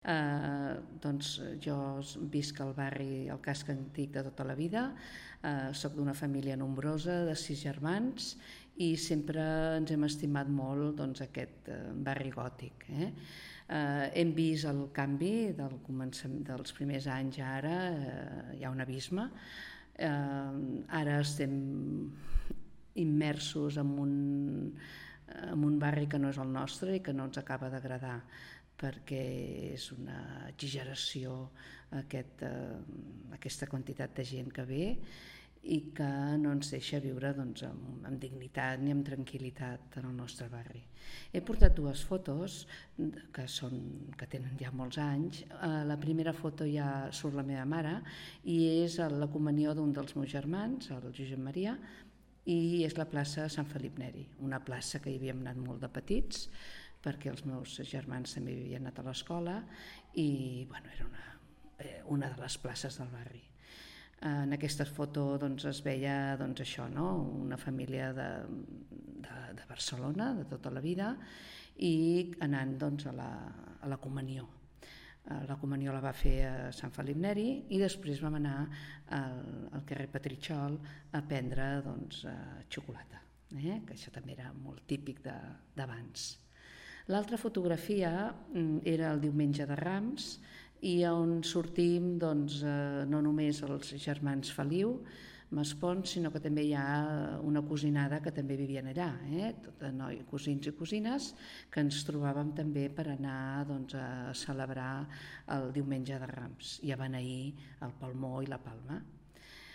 Doncs jo visc al barri El Casc Antic de tota la vida, soc d'una família nombrosa de 6 germans i sempre ens hem estimat molt aquest barri gòtic. Hem vist el canvi dels primers anys a ara, hi ha un abisme. Ara estem immersos en un barri que no és el nostre i que no ens acaba d'agradar, perquè és una exageració aquesta quantitat de gent que ve i que no ens deixa viure amb dignitat ni amb tranquil·litat en el nostre barri. He portat 2 fotos que tenen ja molts anys. La primera foto ja surt la meva mare i és la comunió d'un dels meus germans, el Josep Maria, i és la plaça Sant Felip Neri, una plaça que hi havíem anat molt de petits perquè els meus germans també havien anat a l'escola i era una de les places del barri. En aquesta foto es veia això, una família de Barcelona de tota la vida i anant a la comunió. La comunió la va fer a Sant Felip Neri i després vam anar al carrer Petritxol a prendre xocolata, que això també era molt típic d'abans. L'altra fotografia era el diumenge de Rams i on sortim no només els germans Feliu, Maspons, sinó que també hi ha una cosinada que també vivien allà, cosins i cosines, que ens trobàvem també per anar a celebrar el diumenge de Rams i a beneir el palmó i la palma.